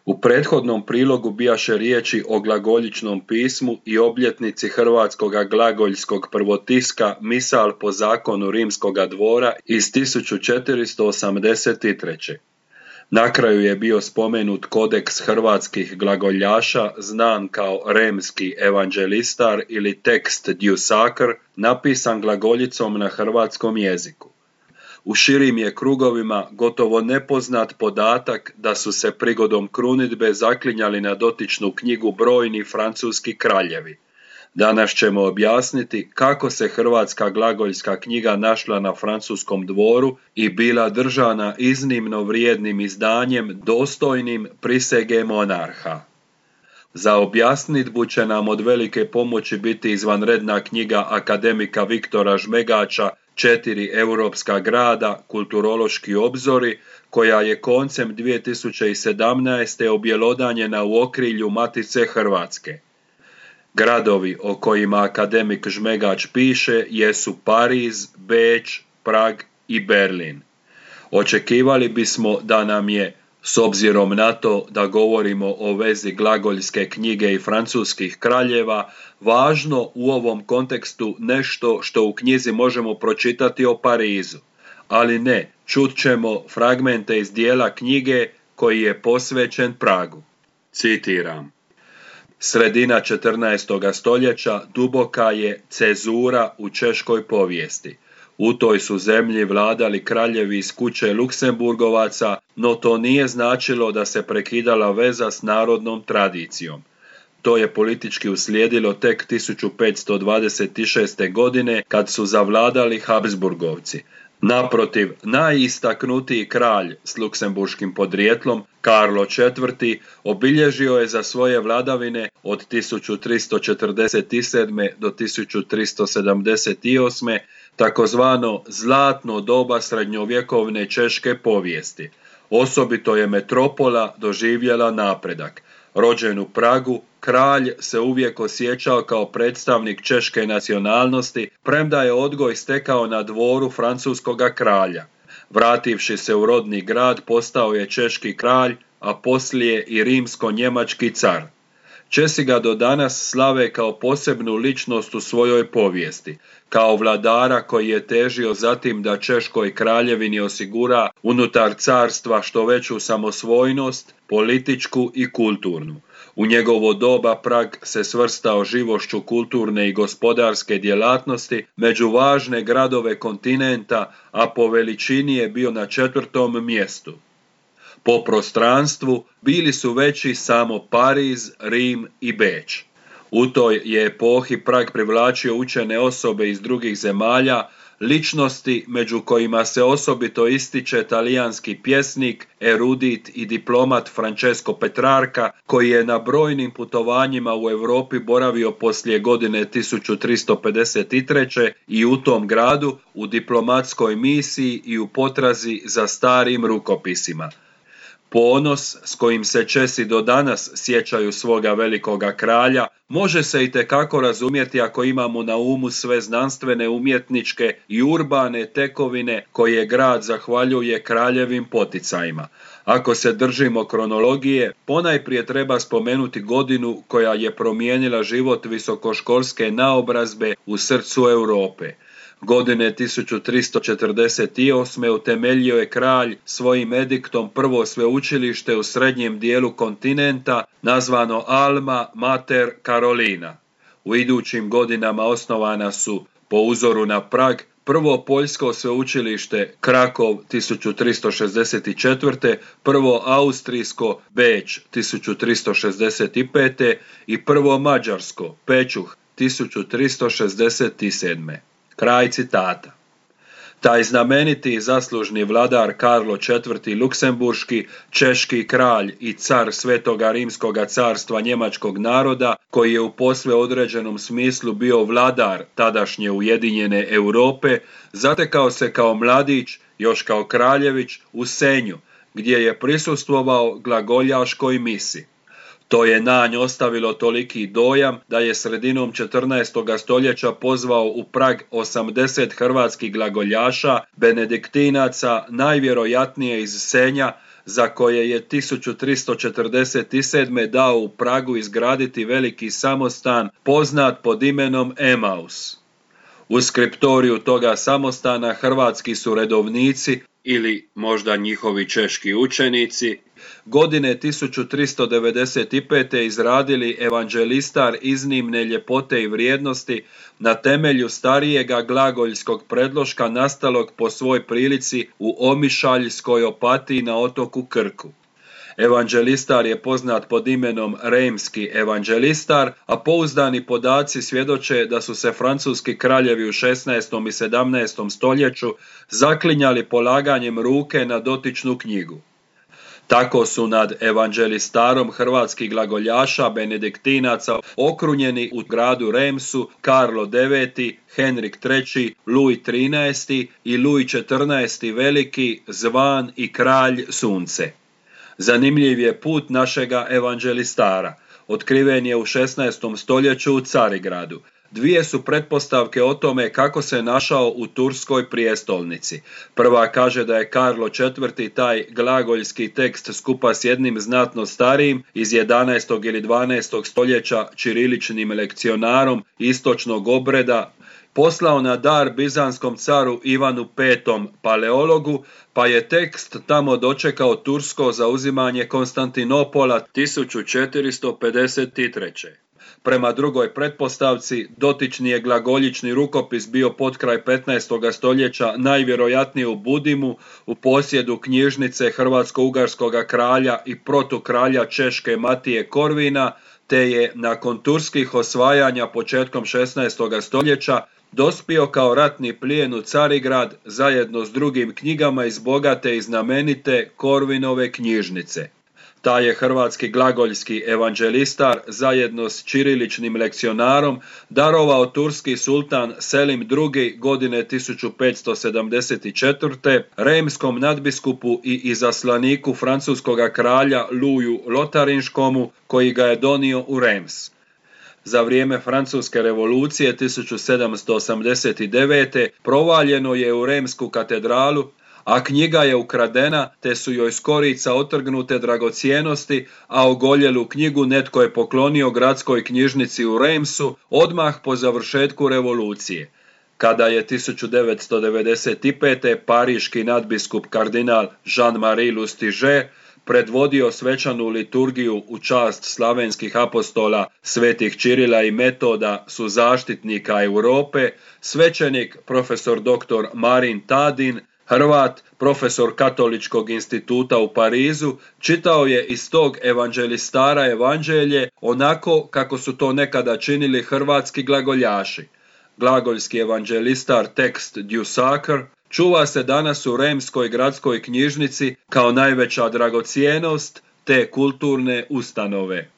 U prethodnom prilogu bijaše riječi o glagoljičnom pismu i obljetnici hrvatskoga glagoljskog prvotiska Misal po zakonu rimskoga dvora iz 1483. Na kraju je bio spomenut kodeks hrvatskih glagoljaša, znan kao Remski evanđelistar ili tekst Djusakr, napisan glagoljicom na hrvatskom jeziku. U širim je krugovima gotovo nepoznat podatak da su se prigodom krunidbe zaklinjali na dotičnu knjigu brojni francuski kraljevi. Danas ćemo objasniti kako se hrvatska glagoljska knjiga našla na francuskom dvoru i bila držana iznimno vrijednim izdanjem dostojnim prisege monarha. Za objasnitbu će nam od velike pomoći biti izvanredna knjiga akademika Viktora Žmegača 4 europska grada, kulturološki obzori, koja je koncem 2017. objelodanjena u okrilju Matice Hrvatske. Gradovi o kojima akademik Žmegač piše jesu Pariz, Beč, Prag i Berlin. Očekivali bismo da nam je, s obzirom na to da govorimo o vezi glagoljske knjige i francuskih kraljeva, važno u ovom kontekstu nešto što u knjizi možemo pročitati o Parizu. Ali ne, čut ćemo fragmente iz dijela knjige koji je posvećen Pragu. Citiram. Sredina 14. stoljeća duboka je cezura u češkoj povijesti. U toj su zemlji vladali kraljevi iz kuće Luksemburgovaca, no to nije značilo da se prekidala veza s narodnom tradicijom. To je politički uslijedilo tek 1526. godine kad su zavladali Habsburgovci. Naprotiv, najistaknutiji kralj s luksemburškim podrijetlom, Karlo IV, obilježio je za svoje vladavine od 1347. do 1378. takozvano zlatno doba srednjovjekovne češke povijesti. Osobito je metropola doživjela napredak. Rođen u Pragu, kralj se uvijek osjećao kao predstavnik češke nacionalnosti, premda je odgoj stekao na dvoru francuskoga kralja. Vrativši se u rodni grad, postao je češki kralj, a poslije i rimsko-njemački car. Česi ga do danas slave kao posebnu ličnost u svojoj povijesti, kao vladara koji je težio zatim da Češkoj kraljevini osigura unutar carstva što veću samosvojnost, političku i kulturnu. U njegovo doba Prag se svrstao živošću kulturne i gospodarske djelatnosti među važne gradove kontinenta, a po veličini je bio na 4. mjestu. Po prostranstvu bili su veći samo Pariz, Rim i Beč. U toj je epohi Prag privlačio učene osobe iz drugih zemalja, ličnosti među kojima se osobito ističe talijanski pjesnik, erudit i diplomat Francesco Petrarca, koji je na brojnim putovanjima u Europi boravio poslije godine 1353. i u tom gradu u diplomatskoj misiji i u potrazi za starim rukopisima. Ponos s kojim se Česi do danas sjećaju svoga velikoga kralja može se itekako razumjeti ako imamo na umu sve znanstvene, umjetničke i urbane tekovine koje grad zahvaljuje kraljevim poticajima. Ako se držimo kronologije, ponajprije treba spomenuti godinu koja je promijenila život visokoškolske naobrazbe u srcu Europe. Godine 1348. utemeljio je kralj svojim ediktom prvo sveučilište u srednjem dijelu kontinenta, nazvano Alma Mater Carolina. U idućim godinama osnovana su, po uzoru na Prag, prvo poljsko sveučilište Krakov 1364., prvo austrijsko Beč 1365. i prvo mađarsko Pečuh 1367. Kraj citata. Taj znameniti i zaslužni vladar Karlo IV. Luksemburški, češki kralj i car Svetoga Rimskoga carstva njemačkog naroda, koji je u posve određenom smislu bio vladar tadašnje ujedinjene Europe, zatekao se kao mladić, još kao kraljević, u Senju, gdje je prisustvovao glagoljaškoj misi. To je na nj ostavilo toliki dojam da je sredinom 14. stoljeća pozvao u Prag 80 hrvatskih glagoljaša, benediktinaca, najvjerojatnije iz Senja, za koje je 1347. dao u Pragu izgraditi veliki samostan poznat pod imenom Emaus. U skriptoriju toga samostana hrvatski su redovnici, ili možda njihovi češki učenici, godine 1395. izradili evanđelistar iznimne ljepote i vrijednosti na temelju starijega glagoljskog predloška nastalog po svoj prilici u Omišaljskoj Opatiji na otoku Krku. Evanđelistar je poznat pod imenom Remski evanđelistar, a pouzdani podaci svjedoče da su se francuski kraljevi u 16. i 17. stoljeću zaklinjali polaganjem ruke na dotičnu knjigu. Tako su nad evanđelistarom hrvatskih glagoljaša benediktinaca okrunjeni u gradu Remsu Karlo IX, Henrik III, Luj XIII i Luj XIV Veliki, zvan i kralj sunce. Zanimljiv je put našega evanđelistara. Otkriven je u 16. stoljeću u Carigradu. Dvije su pretpostavke o tome kako se našao u turskoj prijestolnici. Prva kaže da je Karlo IV taj glagoljski tekst skupa s jednim znatno starijim iz 11. ili 12. stoljeća ćiriličnim lekcionarom istočnog obreda poslao na dar bizanskom caru Ivanu V Paleologu, pa je tekst tamo dočekao tursko zauzimanje Konstantinopola 1453. Prema drugoj pretpostavci, dotični je glagoljični rukopis bio potkraj 15. stoljeća najvjerojatnije u Budimu u posjedu knjižnice hrvatsko-ugarskog kralja i protukralja Češke Matije Korvina, te je nakon turskih osvajanja početkom 16. stoljeća dospio kao ratni plijen u Carigrad zajedno s drugim knjigama iz bogate i znamenite Korvinove knjižnice. Taj je hrvatski glagoljski evanđelistar zajedno s ćiriličnim lekcionarom darovao turski sultan Selim II godine 1574. remskom nadbiskupu i izaslaniku francuskog kralja Luju Lotarinškomu, koji ga je donio u Rems. Za vrijeme Francuske revolucije 1789. provaljeno je u Remsku katedralu, a knjiga je ukradena, te su joj s korica otrgnute dragocjenosti, a ogoljelu knjigu netko je poklonio gradskoj knjižnici u Remsu odmah po završetku revolucije. Kada je 1995. pariški nadbiskup kardinal Jean-Marie Lustiger predvodio svečanu liturgiju u čast slavenskih apostola svetih Čirila i Metoda su zaštitnika Europe, svećenik profesor dr. Marin Tadin, Hrvat, profesor Katoličkog instituta u Parizu, čitao je iz tog evanđelistara evanđelje onako kako su to nekada činili hrvatski glagoljaši. Glagoljski evanđelistar tekst Dusaker čuva se danas u Remskoj gradskoj knjižnici kao najveća dragocjenost te kulturne ustanove.